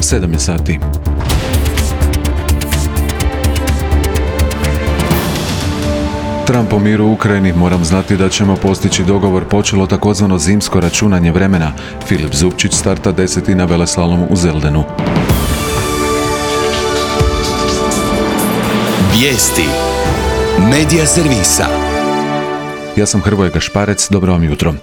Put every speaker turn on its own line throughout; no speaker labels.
7 je sati. Trump o miru u Ukrajini, moram znati da ćemo postići dogovor, počelo takozvano zimsko računanje vremena. Filip Zubčić starta 10. na veleslalomu u Zeldenu.
Vijesti Medija servisa.
Ja sam Hrvoje Gašparec, dobro vam jutro.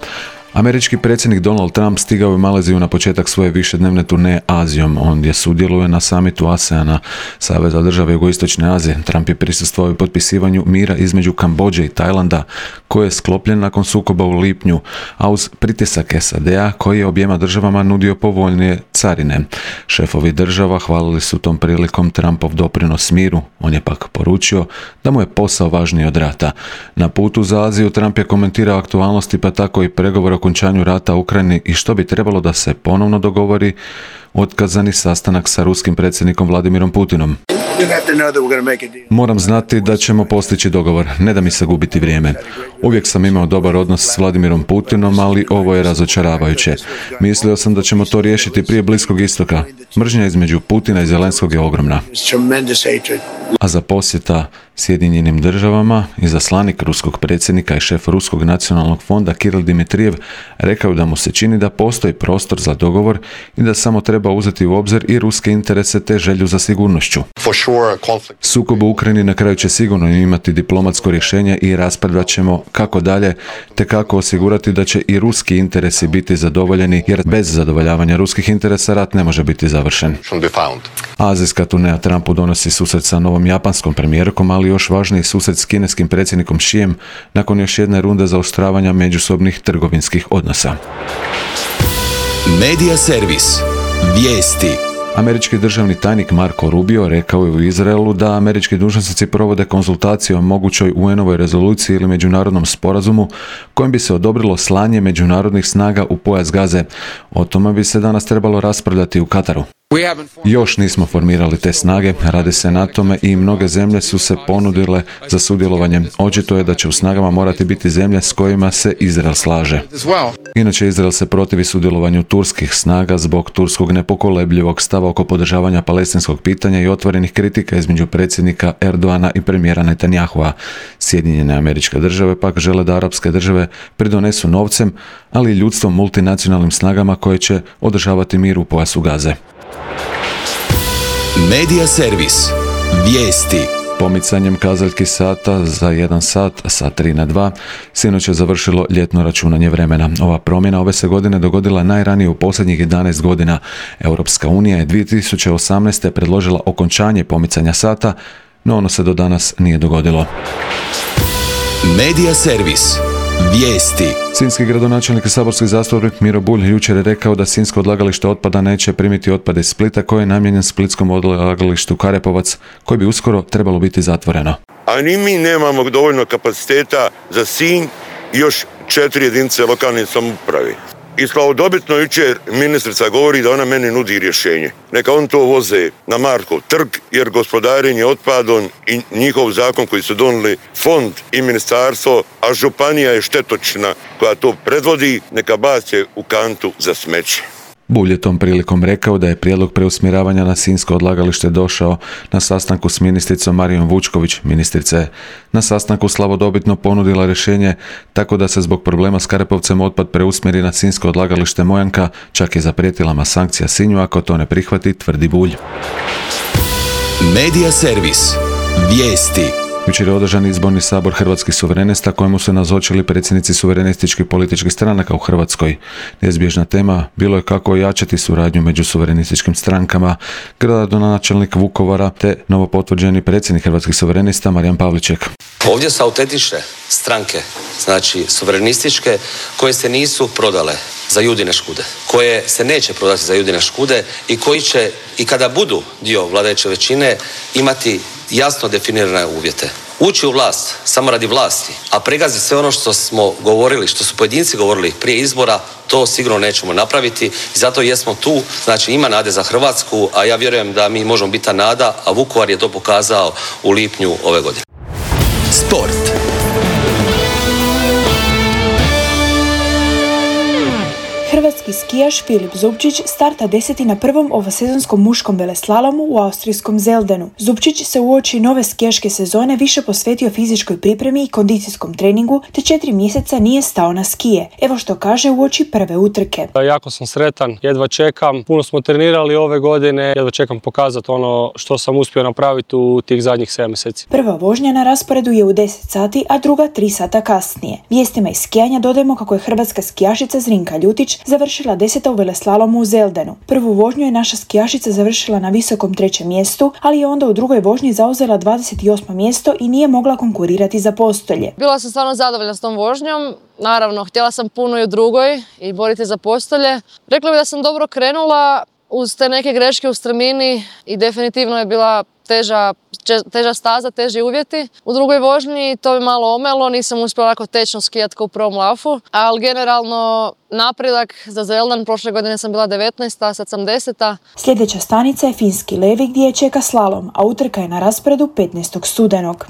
Američki predsjednik Donald Trump stigao je u Maleziju na početak svoje višednevne turneje Azijom. Ondje sudjeluje na samitu ASEANA, Saveza države Jugoistočne Azije. Trump je prisustvovao i potpisivanju mira između Kambodže i Tajlanda, koji je sklopljen nakon sukoba u lipnju, a uz pritisak SAD-a koji je objema državama nudio povoljnije carine. Šefovi država hvalili su tom prilikom Trumpov doprinos miru. On je pak poručio da mu je posao važniji od rata. Na putu za Aziju Trump je komentirao aktualnosti, pa tako i pregovor o okončanju rata u Ukrajini i što bi trebalo da se ponovno dogovori otkazani sastanak sa ruskim predsjednikom Vladimirom Putinom. Moram znati da ćemo postići dogovor, ne da mi se gubiti vrijeme. Uvijek sam imao dobar odnos s Vladimirom Putinom, ali ovo je razočaravajuće. Mislio sam da ćemo to riješiti prije Bliskog istoka. Mržnja između Putina i Zelenskog je ogromna. A za posjeta Sjedinjenim državama, izaslanik ruskog predsjednika i šef Ruskog nacionalnog fonda Kiril Dimitrijev rekao da mu se čini da postoji prostor za dogovor i da samo treba uzeti u obzir i ruske interese te želju za sigurnošću. Sukob u Ukrajini na kraju će sigurno imati diplomatsko rješenje i raspravljat ćemo kako dalje, te kako osigurati da će i ruski interesi biti zadovoljeni, jer bez zadovoljavanja ruskih interesa rat ne može biti završen. Azijska turneja Trumpu donosi susret sa novom japanskom premijerkom, ali još važniji susret s kineskim predsjednikom Xijem nakon još jedne runde zaoštravanja međusobnih trgovinskih odnosa.
Medija servis. Vijesti.
Američki državni tajnik Marco Rubio rekao je u Izraelu da američki dužnosnici provode konzultacije o mogućoj UN-ovoj rezoluciji ili međunarodnom sporazumu kojim bi se odobrilo slanje međunarodnih snaga u pojas Gaze. O tome bi se danas trebalo raspravljati u Kataru. Još nismo formirali te snage, radi se na tome i mnoge zemlje su se ponudile za sudjelovanje. Očito je da će u snagama morati biti zemlje s kojima se Izrael slaže. Inače, Izrael se protivi sudjelovanju turskih snaga zbog turskog nepokolebljivog stava oko podržavanja palestinskog pitanja i otvorenih kritika između predsjednika Erdoana i premijera Netanyahua. Sjedinjene Američke Države pak žele da arapske države pridonesu novcem, ali i ljudstvom multinacionalnim snagama koje će održavati mir u pojasu Gaze.
Medija servis. Vijesti.
Pomicanjem kazaljki sata za 1 sat sa 3 na 2, sinoć je završilo ljetno računanje vremena. Ova promjena ove se godine dogodila najranije u posljednjih 11 godina. Europska unija je 2018. predložila okončanje pomicanja sata, no ono se do danas nije dogodilo.
Medija servis. Vijesti.
Sinjski gradonačelnik i saborski zastupnik Miro Bulj jučer je rekao da sinjsko odlagalište otpada neće primiti otpad iz Splita koji je namijenjen splitskom odlagalištu Karepovac, koji bi uskoro trebalo biti zatvoreno.
A ni mi nemamo dovoljno kapaciteta za Sinj i još 4 jedinice lokalne samouprave. I slavodobitno jučer ministrica govori da ona meni nudi rješenje. Neka on to voze na Markov trg, jer gospodarenje otpadom i njihov zakon koji su donijeli fond i ministarstvo, a županija je štetočina koja to predvodi, neka bace u kantu za smeće.
Bulj je tom prilikom rekao da je prijedlog preusmjeravanja na sinjsko odlagalište došao na sastanku s ministricom Marijom Vučković. Ministrica je na sastanku slavodobitno ponudila rješenje tako da se zbog problema s Karepovcem otpad preusmjeri na sinjsko odlagalište Mojanka, čak je zaprijetila sankcija Sinju ako to ne prihvati, tvrdi Bulj.
Medija servis. Vijesti.
Jučer je održan izborni sabor Hrvatskih suverenista kojemu su nazočili predsjednici suverenističkih političkih stranaka u Hrvatskoj. Neizbježna tema bilo je kako ojačati suradnju među suverenističkim strankama. Gradonačelnik Vukovara te novopotvrđeni predsjednik Hrvatskih suverenista Marijan Pavliček.
Ovdje su autentične stranke, znači suverenističke, koje se nisu prodale za Judine škude, koje se neće prodati za Judine škude i koji će, i kada budu dio vladajuće većine, imati jasno definirane uvjete. Ući u vlast samo radi vlasti, a pregaziti sve ono što smo govorili, što su pojedinci govorili prije izbora, to sigurno nećemo napraviti i zato jesmo tu. Znači ima nade za Hrvatsku, a ja vjerujem da mi možemo biti ta nada, a Vukovar je to pokazao u lipnju ove godine.
Sport.
Hrvatski skijaš Filip Zupčić starta 10. na prvom ovosezonskom muškom veleslalomu u austrijskom Zeldenu. Zupčić se uoči nove skijaške sezone više posvetio fizičkoj pripremi i kondicijskom treningu, te 4 mjeseca nije stao na skije. Evo što kaže uoči prve utrke.
Jako sam sretan, jedva čekam. Puno smo trenirali ove godine, jedva čekam pokazati ono što sam uspio napraviti u tih zadnjih 7 mjeseci.
Prva vožnja na rasporedu je u 10 sati, a druga 3 sata kasnije. Vijestima iz skijanja dodajemo kako je hrvatska skijašica Zrinka Ljutić završila 10. u veleslalomu u Zeldenu. Prvu vožnju je naša skijašica završila na visokom 3. mjestu, ali je onda u drugoj vožnji zauzela 28. mjesto i nije mogla konkurirati za postolje.
Bila sam stvarno zadovoljna s tom vožnjom. Naravno, htjela sam puno i u drugoj i boriti za postolje. Rekla bih da sam dobro krenula uz te neke greške u strmini i definitivno je bila teža staza, teži uvjeti. U drugoj vožnji to mi malo omelo, nisam uspjela tako tečno skijati kao u prvom lafu, ali generalno napredak za Zeldan, prošle godine sam bila 19, sad sam 10.
Sljedeća stanica je Finski Levi gdje je čeka slalom, a utrka je na rasporedu 15. studenog.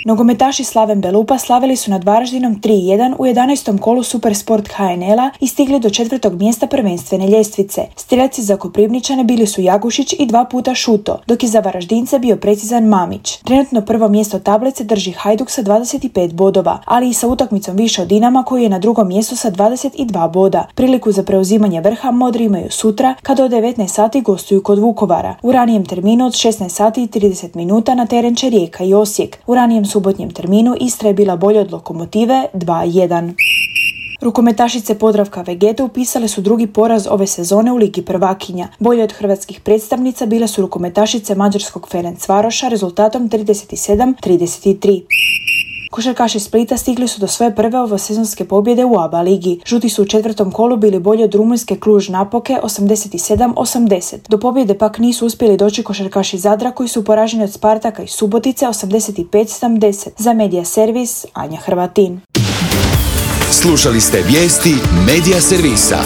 Nogometaši Slaven Belupa slavili su nad Varaždinom 3-1 u 11. kolu Supersport HNL-a i stigli do 4. mjesta prvenstvene ljestvice. Streljaci za Koprivničane bili su Jagušić i 2 puta Šuto, dok je za Varaždince bio precizan Mamić. Trenutno prvo mjesto tablice drži Hajduk sa 25 bodova, ali i sa utakmicom više od Dinama koji je na drugom mjestu sa 22 boda. Priliku za preuzimanje vrha Modri imaju sutra kada od 19 sati gostuju kod Vukovara. U ranijem terminu od 16 sati i 30 minuta na teren će Rijeka i Osijek. U ranijem subotnjem terminu Istra je bila bolja od Lokomotive 2-1. Rukometašice Podravka Vegeta upisale su drugi poraz ove sezone u Ligi prvakinja. Bolje od hrvatskih predstavnica bile su rukometašice mađarskog Ferencvaroša rezultatom 37-33. Košarkaši Splita stigli su do svoje prve ovosezonske pobjede u ABA ligi. Žuti su u 4. kolu bili bolji od rumunjske Cluj Napoke 87-80. Do pobjede pak nisu uspjeli doći košarkaši Zadra koji su poraženi od Spartaka i Subotice 85-70. Za Medija Servis, Anja Hrvatin.
Slušali ste vijesti Medija Servisa.